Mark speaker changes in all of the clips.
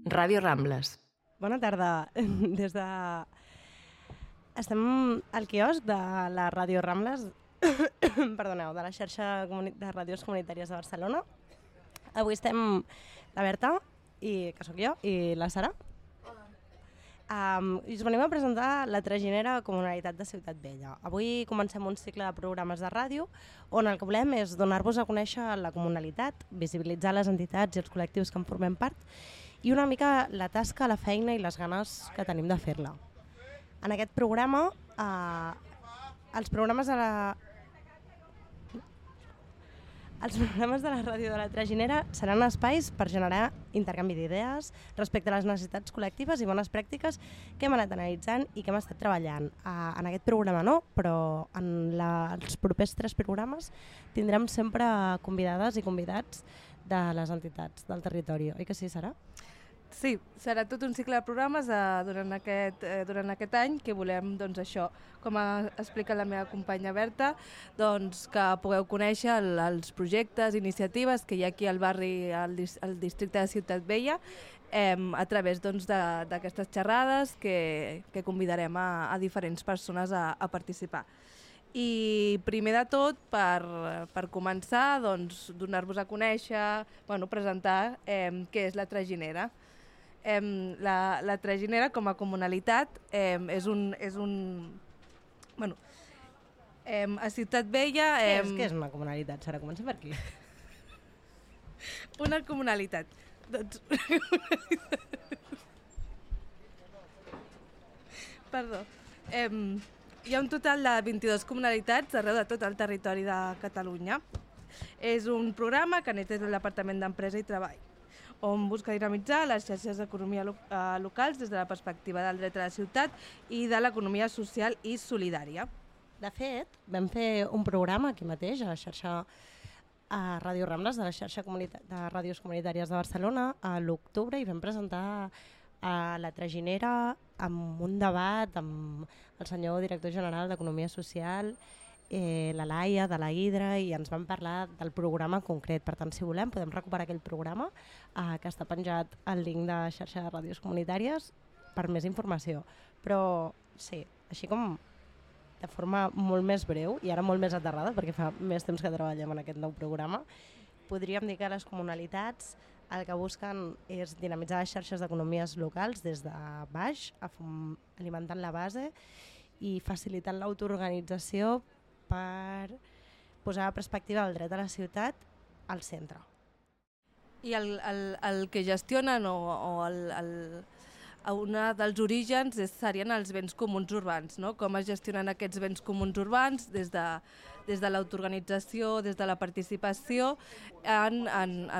Speaker 1: Ràdio Rambles.
Speaker 2: Bona tarda. Estem al quiosc de la Ràdio Rambles, perdoneu, de la xarxa de ràdios comunitàries de Barcelona. Avui estem la Berta, que sóc jo, i la Sara. I us venim a presentar la Traginera Comunalitat de Ciutat Vella. Avui comencem un cicle de programes de ràdio on el que volem és donar-vos a conèixer la comunalitat, visibilitzar les entitats i els col·lectius que en formem part i una mica la tasca, la feina i les ganes que tenim de fer-la. En aquest programa, els programes de la ràdio de la Traginera seran espais per generar intercanvi d'idees respecte a les necessitats col·lectives i bones pràctiques que hem anat analitzant i que hem estat treballant. En aquest programa no, però en els propers 3 programes tindrem sempre convidades i convidats de les entitats del territori. Oi que sí, Sara?
Speaker 3: Sí, serà tot un cicle de programes durant aquest any que volem, doncs, això, com ha explicat la meva companya Berta, doncs, que pugueu conèixer els projectes, iniciatives que hi ha aquí al barri, al districte de Ciutat Vella, a través d'aquestes xerrades que convidarem a diferents persones a participar. I primer de tot, per començar, doncs, donar-vos a conèixer, presentar què és la Traginera. La Traginera com a comunalitat és un a Ciutat Vella...
Speaker 2: Què és una comunalitat, Sara? Comença per aquí.
Speaker 3: Una comunalitat. Doncs... Perdó. Hi ha un total de 22 comunalitats arreu de tot el territori de Catalunya. És un programa que neix des del Departament d'Empresa i Treball, on busca dinamitzar les xarxes d'economia locals des de la perspectiva del dret a la ciutat i de l'economia social i solidària.
Speaker 2: De fet, vam fer un programa aquí mateix, a la xarxa Ràdio Rambles, de la xarxa de ràdios comunitàries de Barcelona, a l'octubre, i vam presentar la Traginera amb un debat amb el senyor director general d'Economia Social, la Laia, de la Hidra, i ens van parlar del programa concret. Per tant, si volem, podem recuperar aquell programa que està penjat al link de la xarxa de ràdios comunitàries per més informació. Però sí, així com de forma molt més breu i ara molt més aterrada, perquè fa més temps que treballem en aquest nou programa, podríem dir que les comunalitats el que busquen és dinamitzar les xarxes d'economies locals des de baix, alimentant la base i facilitant l'autoorganització per posar la perspectiva del dret a la ciutat al centre.
Speaker 3: I el que gestionen un dels orígens serien els béns comuns urbans, no? Com es gestionen aquests béns comuns urbans des de l'autoorganització, des de la participació en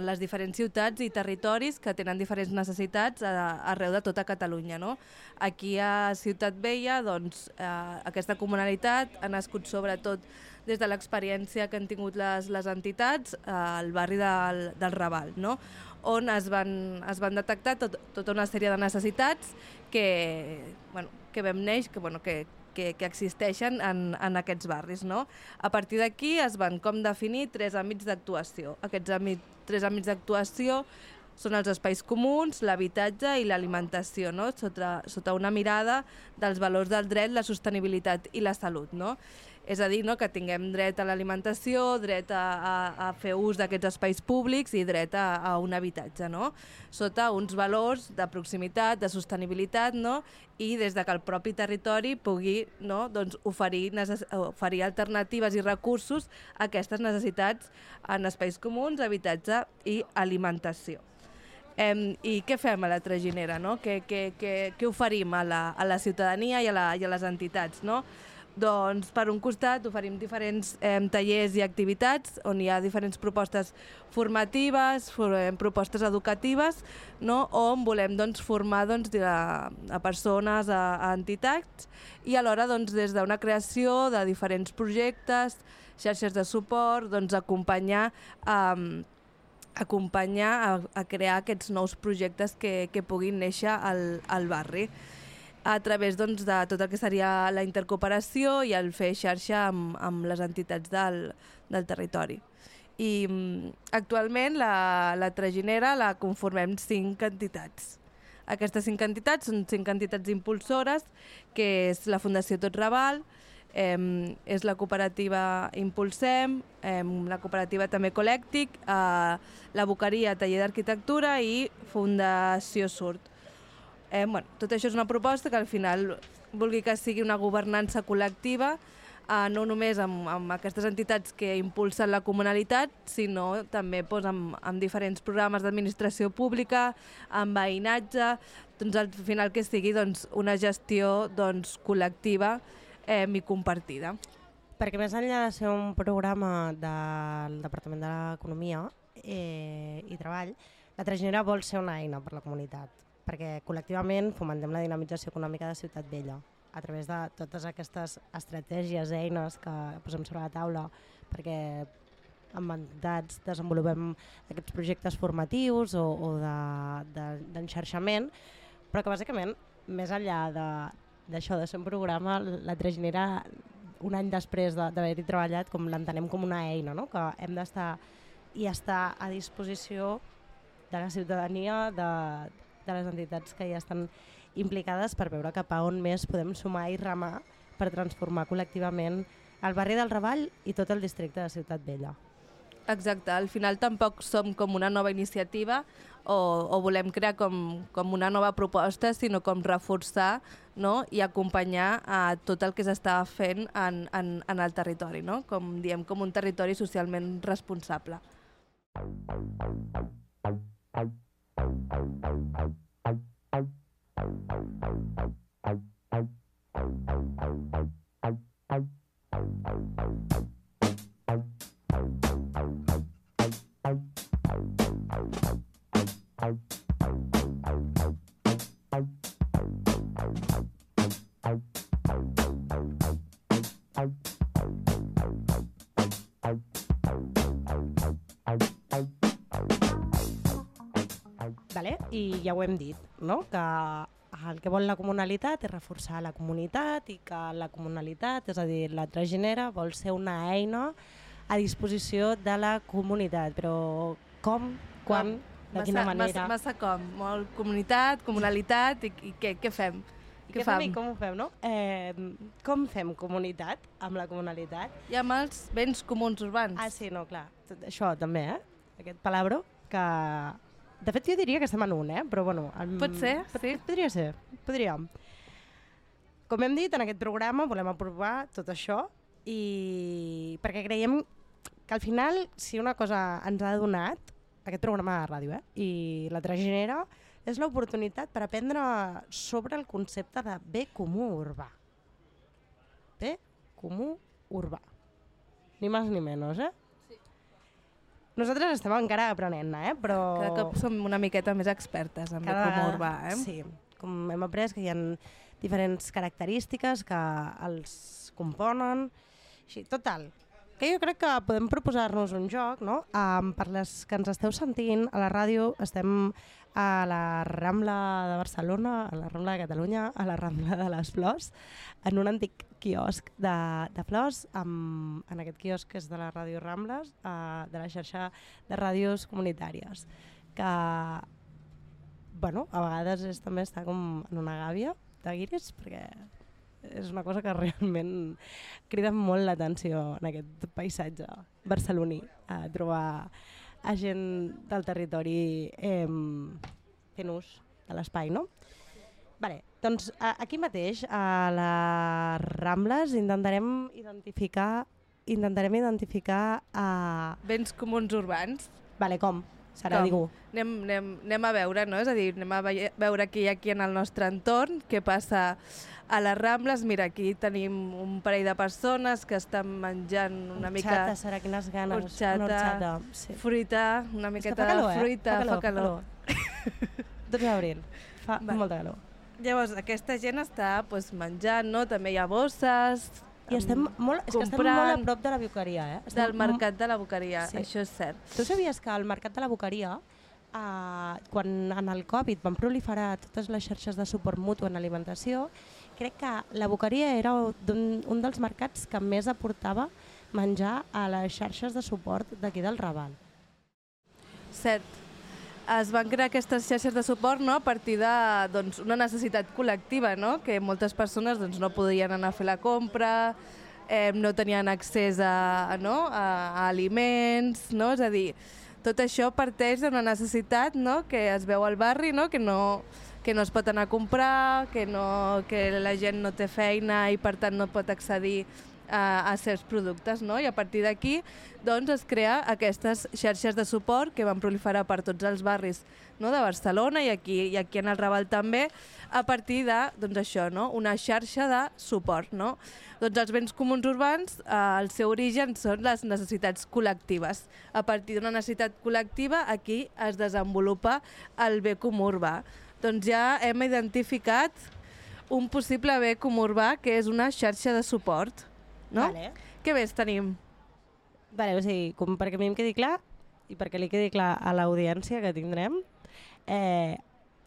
Speaker 3: les diferents ciutats i territoris que tenen diferents necessitats arreu de tota Catalunya, no? Aquí a Ciutat Vella, doncs, aquesta comunalitat ha nascut sobretot des de l'experiència que han tingut les entitats al barri del Raval, no? On es van detectar tota una sèrie de necessitats que vam néixer, que existeixen en aquests barris, no? A partir d'aquí es van definir 3 àmbits d'actuació. Aquests 3 àmbits d'actuació són els espais comuns, l'habitatge i l'alimentació, no? Sota una mirada dels valors del dret, la sostenibilitat i la salut, no? És a dir, no, que tinguem dret a l'alimentació, dret a fer ús d'aquests espais públics i dret a un habitatge, no? Sota uns valors de proximitat, de sostenibilitat, no? I des que el propi territori pugui, no, doncs, oferir alternatives i recursos a aquestes necessitats en espais comuns, habitatge i alimentació. I què fem a la Traginera, no? Què oferim a la ciutadania i a les entitats, no? Doncs, per un costat, oferim diferents tallers i activitats on hi ha diferents propostes formatives, propostes educatives, no? On volem formar a persones, a entitats, i alhora des d'una creació de diferents projectes, xarxes de suport, acompanyar a crear aquests nous projectes que puguin néixer al barri, a través de tot el que seria la intercooperació i el fer xarxa amb les entitats del territori. I actualment la Traginera la conformem 5 entitats. Aquestes 5 entitats són 5 entitats impulsores, que és la Fundació Tot Raval, és la cooperativa Impulsem, la cooperativa també Colèctic, la Boqueria Taller d'Arquitectura i Fundació Surt. Tot això és una proposta que al final vulgui que sigui una governança col·lectiva, no només amb aquestes entitats que impulsen la comunalitat, sinó també amb diferents programes d'administració pública, amb veïnatge, al final que sigui una gestió col·lectiva i compartida.
Speaker 2: Perquè més enllà de ser un programa del Departament de l'Economia i Treball, la Traginera vol ser una eina per a la comunitat, perquè col·lectivament fomentem la dinamització econòmica de Ciutat Vella a través de totes aquestes estratègies, eines que posem sobre la taula, perquè amb entitats desenvolupem aquests projectes formatius o d'enxarxament, però que bàsicament, més enllà d'això de ser un programa, la Traginera, un any després d'haver-hi treballat, com l'entenem com una eina, no? Que hem d'estar i estar a disposició de la ciutadania, de les entitats que ja estan implicades per veure cap a on més podem sumar i remar per transformar col·lectivament el barri del Raval i tot el districte de Ciutat Vella.
Speaker 3: Exacte, al final tampoc som com una nova iniciativa o volem crear com una nova proposta, sinó com reforçar, no? I acompanyar a tot el que s'està fent en el territori, no? Com diem, com un territori socialment responsable.
Speaker 2: I ja ho hem dit, no? Que el que vol la comunalitat és reforçar la comunitat i que la comunalitat, és a dir, la Traginera, vol ser una eina a disposició de la comunitat. Però com, quan, de quina manera...
Speaker 3: Massa com, molt comunitat, comunalitat i què fem?
Speaker 2: Què fem i com ho fem, no? Com fem comunitat amb la comunalitat?
Speaker 3: I amb els béns comuns urbans.
Speaker 2: Ah, sí, no, clar. Això també, aquest palabro que... De fet, jo diria que estem en un, però bueno...
Speaker 3: Pot ser, sí.
Speaker 2: Podria ser, podríem. Com hem dit, en aquest programa volem aprovar tot això i perquè creiem que al final, si una cosa ens ha donat, aquest programa de ràdio, i la Traginera, és l'oportunitat per aprendre sobre el concepte de bé comú urbà. Bé comú urbà. Ni més ni menys, Nosaltres estem encara aprenent, però...
Speaker 3: Cada cop som una miqueta més expertes en bé comú urbà,
Speaker 2: Sí, com hem après que hi ha diferents característiques que els componen. Així, total, que jo crec que podem proposar-nos un joc, no? Per les que ens esteu sentint, a la ràdio estem a la Rambla de Barcelona, a la Rambla de Catalunya, a la Rambla de les Flors, en un antic quiosc de flors. En aquest quiosc és de la Ràdio Rambles, de la xarxa de ràdios comunitàries, que bueno, a vegades també està com en una gàbia de guiris, perquè és una cosa que realment crida molt l'atenció en aquest paisatge barceloní, a trobar a gent del territori fent ús de l'espai, no? Vale, doncs aquí mateix, a les Rambles, intentarem identificar
Speaker 3: béns comuns urbans.
Speaker 2: Vale, com? Serà dir-ho.
Speaker 3: Anem a veure, no? És a dir, anem a veure què hi ha aquí en el nostre entorn, què passa a les Rambles. Mira, aquí tenim un parell de persones que estan menjant una mica...
Speaker 2: Horxata, serà, quines ganes.
Speaker 3: Horxata, sí. Fruita, una miqueta de fruita, fa calor.
Speaker 2: 12 d'abril, fa molta calor.
Speaker 3: Llavors, aquesta gent està menjant, no? També hi ha bosses,
Speaker 2: i estem molt a prop de la Boqueria,
Speaker 3: del mercat de la Boqueria, sí. Això és cert.
Speaker 2: Tu sabies que al mercat de la Boqueria, quan en el Covid van proliferar totes les xarxes de suport mutu en alimentació, crec que la Boqueria era un dels mercats que més aportava menjar a les xarxes de suport d'aquí del Raval.
Speaker 3: Cert. es van crear aquestes xarxes de suport, no?, a partir de doncs, una necessitat col·lectiva, no?, que moltes persones doncs, no podien anar a fer la compra, no tenien accés a aliments, no? És a dir, tot això parteix d'una necessitat, no?, que es veu al barri, no?, que no es pot anar a comprar, que la gent no té feina i per tant no pot accedir a certs productes, no? I a partir d'aquí doncs, es crea aquestes xarxes de suport que van proliferar per tots els barris, no?, de Barcelona i aquí en el Raval també, a partir de doncs, això, no?, una xarxa de suport. No? Doncs els béns comuns urbans, el seu origen són les necessitats col·lectives. A partir d'una necessitat col·lectiva aquí es desenvolupa el bé comú urbà. Doncs ja hem identificat un possible bé comú urbà que és una xarxa de suport. No?
Speaker 2: Vale.
Speaker 3: Què més tenim?
Speaker 2: Vale, o sigui, perquè a mi em quedi clar i perquè li quedi clar a l'audiència que tindrem,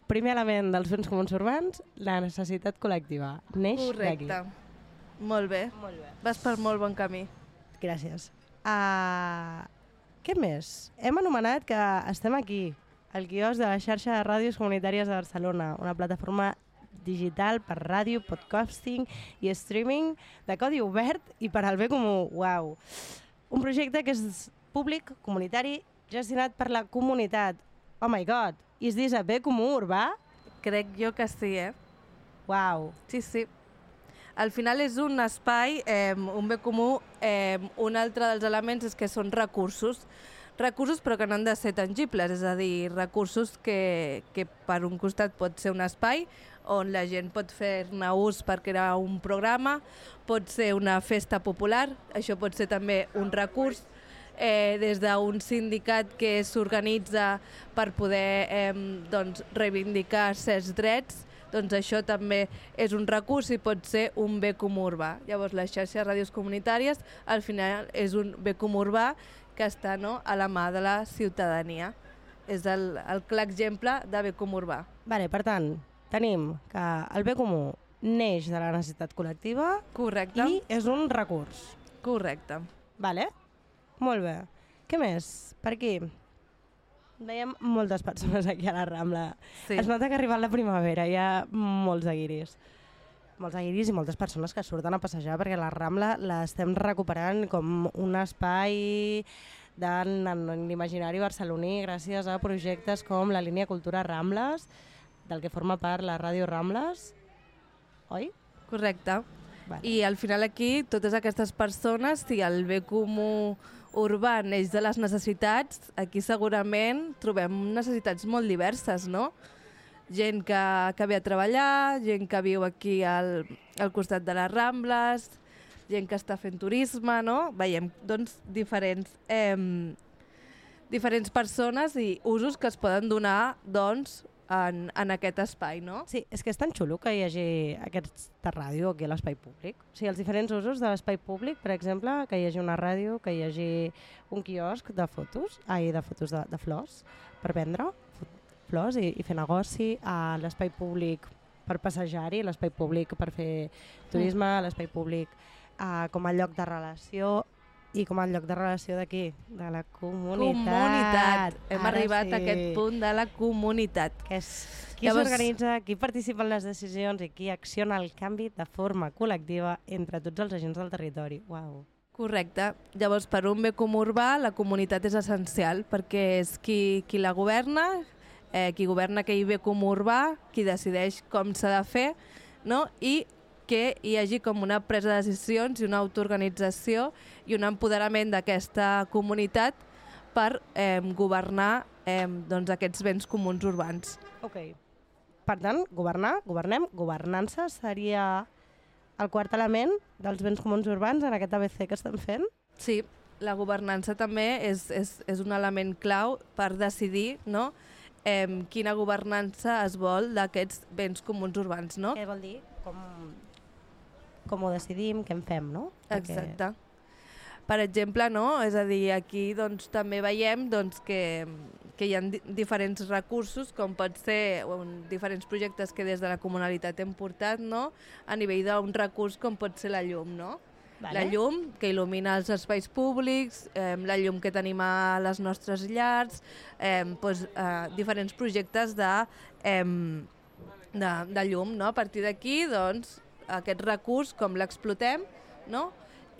Speaker 2: primer element dels béns comuns urbans, la necessitat col·lectiva. Neix d'aquí.
Speaker 3: Correcte. Molt bé.
Speaker 2: Molt bé.
Speaker 3: Vas per molt bon camí.
Speaker 2: Gràcies. Què més? Hem anomenat que estem aquí, al quiosc de la xarxa de ràdios comunitàries de Barcelona, una plataforma digital per ràdio, podcasting i streaming de codi obert i per al bé comú. Uau! Un projecte que és públic, comunitari, gestionat per la comunitat. Oh my god! Is this a bé comú urbà?
Speaker 3: Crec jo que sí,
Speaker 2: Uau!
Speaker 3: Sí, sí. Al final és un espai, un bé comú, un altre dels elements és que són recursos, però que no han de ser tangibles, és a dir, recursos que per un costat pot ser un espai on la gent pot fer-ne ús per crear un programa, pot ser una festa popular, això pot ser també un recurs, des d'un sindicat que s'organitza per poder doncs, reivindicar certs drets, doncs això també és un recurs i pot ser un bé comú urbà. Llavors la xarxa de ràdios comunitàries al final és un bé comú urbà que està a la mà de la ciutadania. És el clar exemple de bé comú urbà.
Speaker 2: Vale, per tant, tenim que el bé comú neix de la necessitat col·lectiva.
Speaker 3: Correcte.
Speaker 2: I és un recurs.
Speaker 3: Correcte.
Speaker 2: Vale? Molt bé. Què més? Per aquí? Veiem moltes persones aquí a la Rambla.
Speaker 3: Sí.
Speaker 2: Es nota que ha arribat la primavera, hi ha molts guiris. Molts guiris i moltes persones que surten a passejar perquè la Rambla l'estem recuperant com un espai de l'imaginari barceloní gràcies a projectes com la línia Cultura Rambles, del que forma part la Ràdio Rambles, oi?
Speaker 3: Correcte.
Speaker 2: Vale.
Speaker 3: I al final aquí, totes aquestes persones, si el bé comú urbà neix de les necessitats, aquí segurament trobem necessitats molt diverses, no? Gent que ve a treballar, gent que viu aquí al costat de les Rambles, gent que està fent turisme, no? Veiem doncs, diferents persones i usos que es poden donar doncs, en aquest espai, no?
Speaker 2: Sí, és que és tan xulo que hi hagi aquesta ràdio aquí a l'espai públic. O sigui, els diferents usos de l'espai públic, per exemple, que hi hagi una ràdio, que hi hagi un quiosc de fotos, de flors, per vendre flors i fer negoci, a l'espai públic per passejar-hi, l'espai públic per fer turisme, l'espai públic com a lloc de relació i com a lloc de relació d'aquí, de la comunitat.
Speaker 3: Hem arribat a aquest punt de la comunitat.
Speaker 2: Que és qui s'organitza, qui participa en les decisions i qui acciona el canvi de forma col·lectiva entre tots els agents del territori. Uau.
Speaker 3: Correcte. Llavors, per un bé comú urbà, la comunitat és essencial perquè és qui la governa, qui governa aquell bé comú urbà, qui decideix com s'ha de fer, no? I que hi hagi com una presa de decisions i una autoorganització i un empoderament d'aquesta comunitat per governar doncs, aquests béns comuns urbans.
Speaker 2: Ok. Per tant, governem, governança seria el quart element dels béns comuns urbans en aquest ABC que estem fent?
Speaker 3: Sí, la governança també és un element clau per decidir, no? Quina governança es vol d'aquests béns comuns urbans, no?
Speaker 2: Què vol dir? Com ho decidim, què en fem, no?
Speaker 3: Exacte. Per exemple, no? És a dir, aquí doncs, també veiem doncs, que hi ha diferents recursos, com pot ser diferents projectes que des de la comunalitat hem portat, no? A nivell d'un recurs com pot ser la llum, no? La llum que il·lumina els espais públics, la llum que tenim a les nostres llars, diferents projectes de llum. No? A partir d'aquí, doncs, aquest recurs, com l'explotem, no?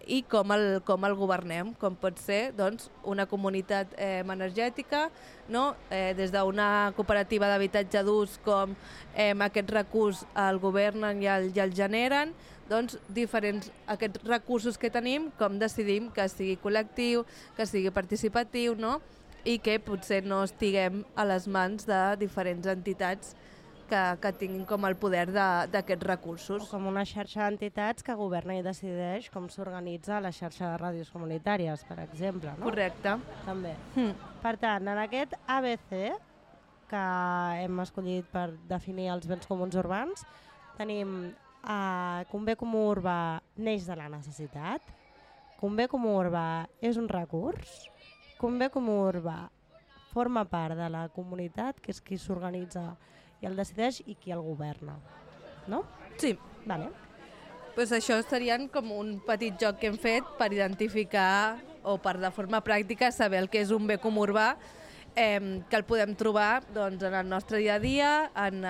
Speaker 3: I com el governem, com pot ser doncs, una comunitat energètica, no? Des d'una cooperativa d'habitatge d'ús, com aquest recurs el governen i el generen, doncs aquests recursos que tenim, com decidim que sigui col·lectiu, que sigui participatiu, no? I que potser no estiguem a les mans de diferents entitats que tinguin com el poder d'aquests recursos.
Speaker 2: O com una xarxa d'entitats que governa i decideix com s'organitza la xarxa de ràdios comunitàries, per exemple. No?
Speaker 3: Correcte.
Speaker 2: També. Per tant, en aquest ABC que hem escollit per definir els béns comuns urbans, tenim que un bé comú urbà neix de la necessitat, que un bé comú urbà és un recurs, que un bé comú urbà forma part de la comunitat, que és qui s'organitza i el decideix i qui el governa, no?
Speaker 3: Sí.
Speaker 2: Vale.
Speaker 3: Pues això serien com un petit joc que hem fet per identificar o per de forma pràctica saber el que és un bé comú urbà, que el podem trobar doncs, en el nostre dia a dia, en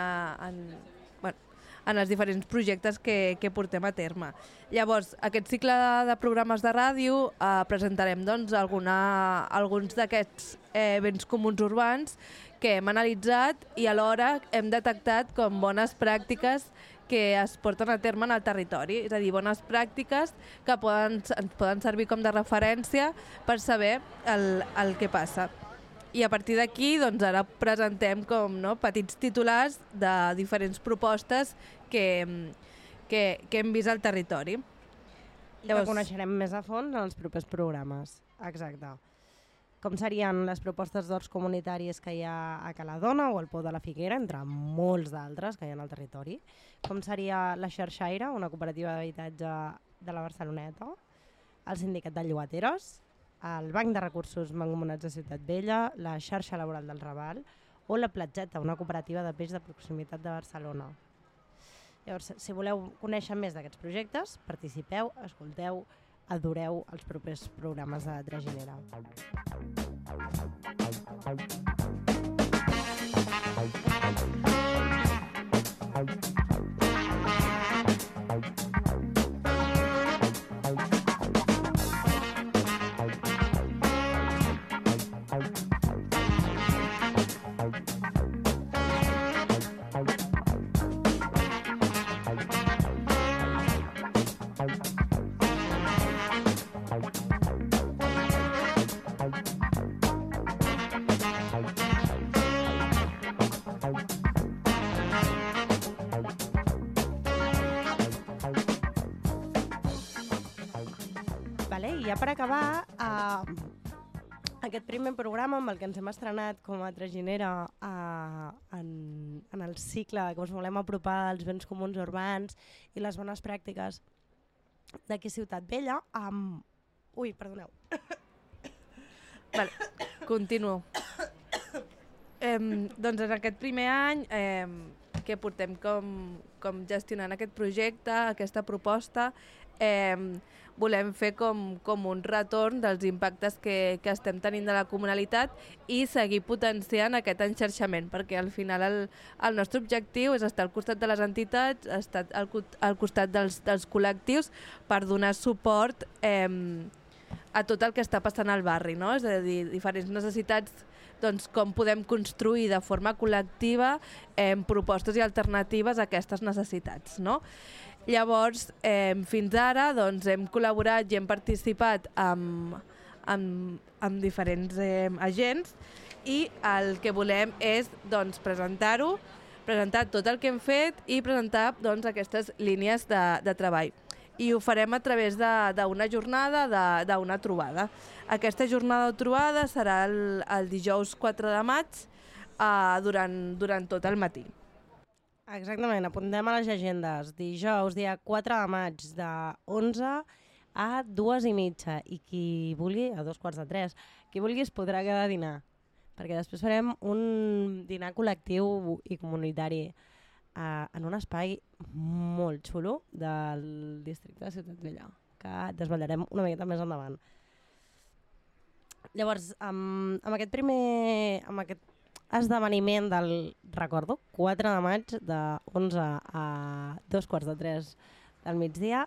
Speaker 3: els diferents projectes que portem a terme. Llavors, aquest cicle de programes de ràdio presentarem doncs, alguns d'aquests béns comuns urbans que hem analitzat i alhora hem detectat com bones pràctiques que es porten a terme en el territori, és a dir, bones pràctiques que ens poden servir com de referència per saber el que passa. I a partir d'aquí doncs, ara presentem com, no, petits titulars de diferents propostes que hem vist al territori.
Speaker 2: I que coneixerem més a fons en els propers programes. Exacte. Com serien les propostes d'horts comunitaris que hi ha a Caladona o al Pou de la Figuera, entre molts d'altres que hi ha al territori. Com seria la Xarxaire, una cooperativa d'habitatge de la Barceloneta, el Sindicat de Llogateres, el Banc de Recursos Mancomunats de Ciutat Vella, la Xarxa Laboral del Raval o la Platgeta, una cooperativa de peix de proximitat de Barcelona. Llavors, si voleu conèixer més d'aquests projectes, participeu, escolteu, adoreu els propers programes de Traginera. I ja per acabar, aquest primer programa amb el que ens hem estrenat com a Traginera en el cicle que us volem apropar als béns comuns urbans i les bones pràctiques d'aquí Ciutat Vella. Ui, perdoneu.
Speaker 3: Vale, continuo. Doncs en aquest primer any que portem com gestionant aquest projecte, aquesta proposta, volem fer com un retorn dels impactes que estem tenint de la comunalitat i seguir potenciant aquest enxarxament, perquè al final el nostre objectiu és estar al costat de les entitats, estar al costat dels col·lectius per donar suport a tot el que està passant al barri, no? És a dir, diferents necessitats, doncs, com podem construir de forma col·lectiva propostes i alternatives a aquestes necessitats, no? Llavors, fins ara doncs, hem col·laborat i hem participat amb diferents agents i el que volem és doncs, presentar tot el que hem fet i presentar doncs, aquestes línies de treball. I ho farem a través d'una jornada, d'una trobada. Aquesta jornada o trobada serà el dijous 4 de maig durant tot el matí.
Speaker 2: Exactament, apuntem a les agendes. Dijous, dia 4 de maig, de 11 a 2:30 i qui vulgui, a 2:45, qui vulgui es podrà quedar a dinar, perquè després farem un dinar col·lectiu i comunitari en un espai molt xulo del districte de Ciutat Vella, que desvetllarem una miqueta més endavant. Llavors, amb aquest esdeveniment recordo, 4 de maig de 11 a 2:45 del migdia,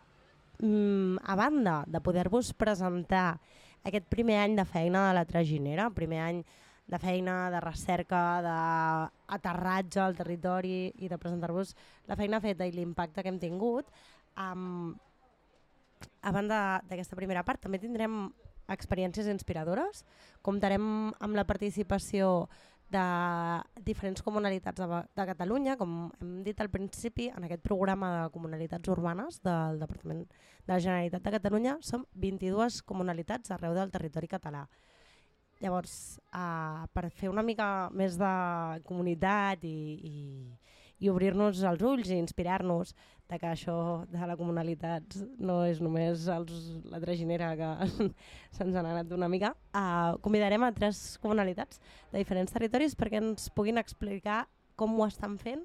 Speaker 2: a banda de poder-vos presentar aquest primer any de feina de la Traginera, primer any de feina, de recerca, d'aterratge al territori i de presentar-vos la feina feta i l'impacte que hem tingut, a banda d'aquesta primera part també tindrem experiències inspiradores, comptarem amb la participació de diferents comunalitats de Catalunya, com hem dit al principi, en aquest programa de comunalitats urbanes del Departament de la Generalitat de Catalunya som 22 comunalitats arreu del territori català. Llavors, per fer una mica més de comunitat i obrir-nos els ulls i inspirar-nos de que això de la comunalitat no és només la traginera que se'ns ha anat una mica, convidarem a 3 comunalitats de diferents territoris perquè ens puguin explicar com ho estan fent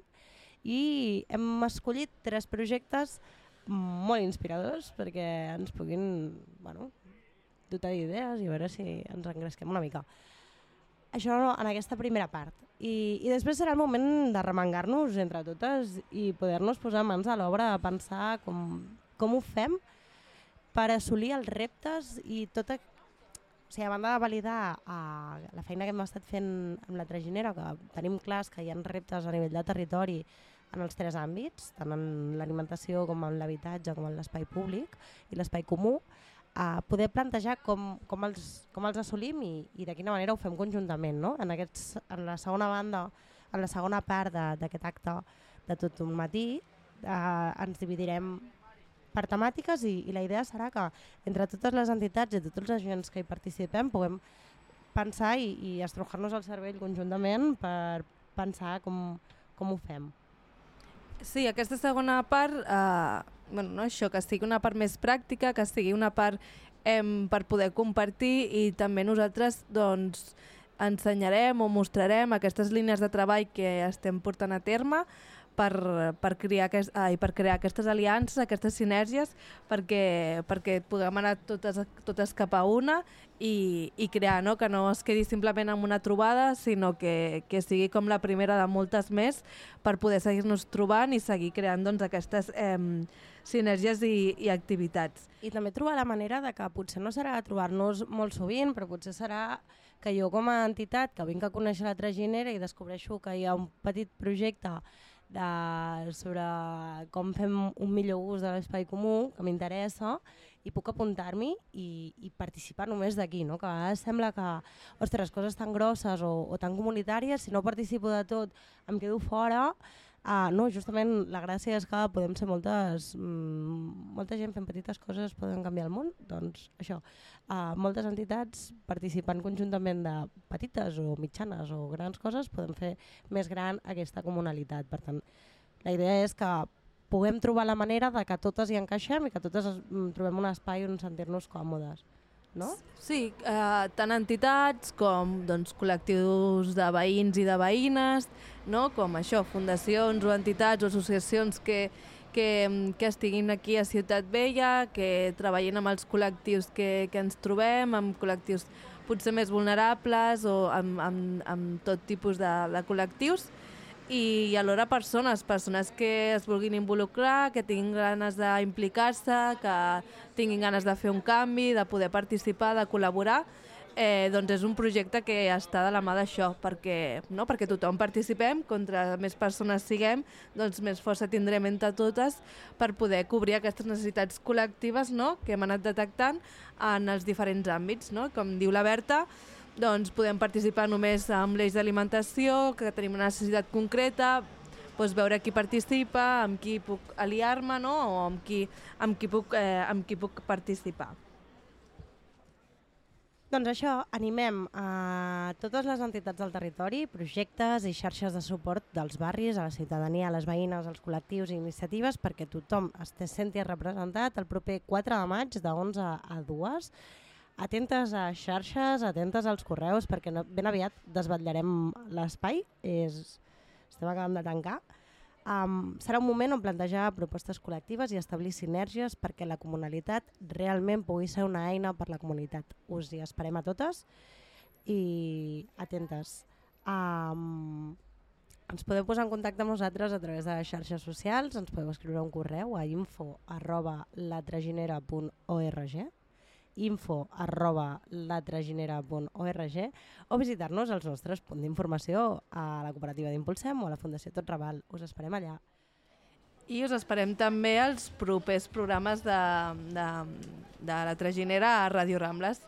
Speaker 2: i hem escollit 3 projectes molt inspiradors perquè ens puguin dotar d'idees i a veure si ens engresquem una mica. Això en aquesta primera part. I després serà el moment de remengar-nos entre totes i poder-nos posar mans a l'obra a pensar com ho fem per assolir els reptes i a banda de validar la feina que hem estat fent amb la Traginera, que tenim clars que hi ha reptes a nivell de territori en els 3 àmbits, tant en l'alimentació com en l'habitatge com en l'espai públic i l'espai comú, poder plantejar com els assolim i de quina manera ho fem conjuntament. No? En la segona banda, en la segona part d'aquest acte de tot un matí, ens dividirem per temàtiques i la idea serà que entre totes les entitats i tots els agents que hi participem puguem pensar i estrujar-nos el cervell conjuntament per pensar com ho fem.
Speaker 3: Sí, aquesta segona part, això, que sigui una part més pràctica, que sigui una part per poder compartir i també nosaltres ensenyarem o mostrarem aquestes línies de treball que estem portant a terme per crear aquestes aliances, aquestes sinergies, perquè puguem anar totes cap a una i crear, no? Que no es quedi simplement en una trobada, sinó que sigui com la primera de moltes més per poder seguir-nos trobant i seguir creant aquestes sinergies i activitats.
Speaker 2: I també trobar la manera de que potser no serà trobar-nos molt sovint, però potser serà que jo com a entitat que vinc a conèixer la Traginera i descobreixo que hi ha un petit projecte sobre com fem un millor ús de l'espai comú, que m'interessa, i puc apuntar-m'hi i participar només d'aquí, no? Que a vegades sembla que, ostres, coses tan grosses o tan comunitàries, si no participo de tot em quedo fora. No, justament la gràcia és que podem ser molta gent fent petites coses poden canviar el món, doncs això, moltes entitats participant conjuntament de petites o mitjanes o grans coses podem fer més gran aquesta comunalitat. Per tant, la idea és que puguem trobar la manera de que totes hi encaixem i que totes trobem un espai on sentir-nos còmodes. No?
Speaker 3: Sí, tant entitats com col·lectius de veïns i de veïnes, no? Com això, fundacions o entitats o associacions que estiguin aquí a Ciutat Vella, que treballin amb els col·lectius que ens trobem, amb col·lectius potser més vulnerables o amb tot tipus de col·lectius, i alhora persones que es vulguin involucrar, que tinguin ganes d'implicar-se, que tinguin ganes de fer un canvi, de poder participar, de col·laborar. Doncs és un projecte que està de la mà d'això, perquè tothom participem, contra més persones siguem, doncs més força tindrem entre totes per poder cobrir aquestes necessitats col·lectives, no? Que hem anat detectant en els diferents àmbits. No? Com diu la Berta, doncs podem participar només amb l'eix d'alimentació, que tenim una necessitat concreta, doncs veure qui participa, amb qui puc aliar-me, no? O amb qui puc participar.
Speaker 2: Doncs això, animem a totes les entitats del territori, projectes i xarxes de suport dels barris, a la ciutadania, a les veïnes, als col·lectius i iniciatives perquè tothom es senti representat el proper 4 de maig de 11 a 2. Atentes a xarxes, atentes als correus, perquè ben aviat desvetllarem l'espai, estem acabant de tancar. Serà un moment on plantejar propostes col·lectives i establir sinergies perquè la comunalitat realment pugui ser una eina per la comunitat. Us hi esperem a totes i atentes. Ens podeu posar en contacte amb nosaltres a través de les xarxes socials, ens podeu escriure un correu a info@latraginera.org info@latraginera.org o visitar-nos als nostres punts d'informació a la cooperativa d'Impulsem o a la Fundació Tot Raval. Us esperem allà.
Speaker 3: I us esperem també als propers programes de la Traginera a Ràdio Rambles.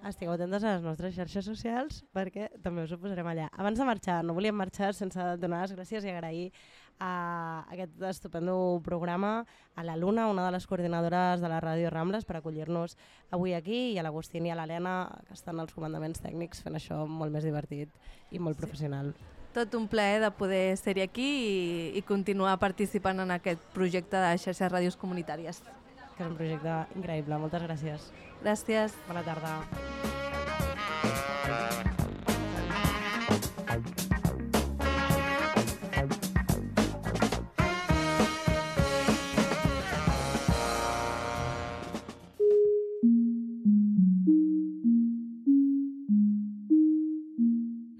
Speaker 2: Estigueu atentes a les nostres xarxes socials perquè també us ho posarem allà. Abans de marxar, no volíem marxar sense donar les gràcies i agrair a aquest estupendo programa a la Luna, una de les coordinadores de la Ràdio Rambles, per acollir-nos avui aquí, i a l'Agustín i a l'Helena, que estan als comandaments tècnics fent això molt més divertit i molt professional.
Speaker 3: Tot un plaer de poder ser-hi aquí i continuar participant en aquest projecte de xarxes ràdios comunitàries.
Speaker 2: Que és un projecte increïble. Moltes gràcies.
Speaker 3: Gràcies.
Speaker 2: Bona tarda.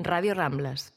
Speaker 1: Ràdio Rambles.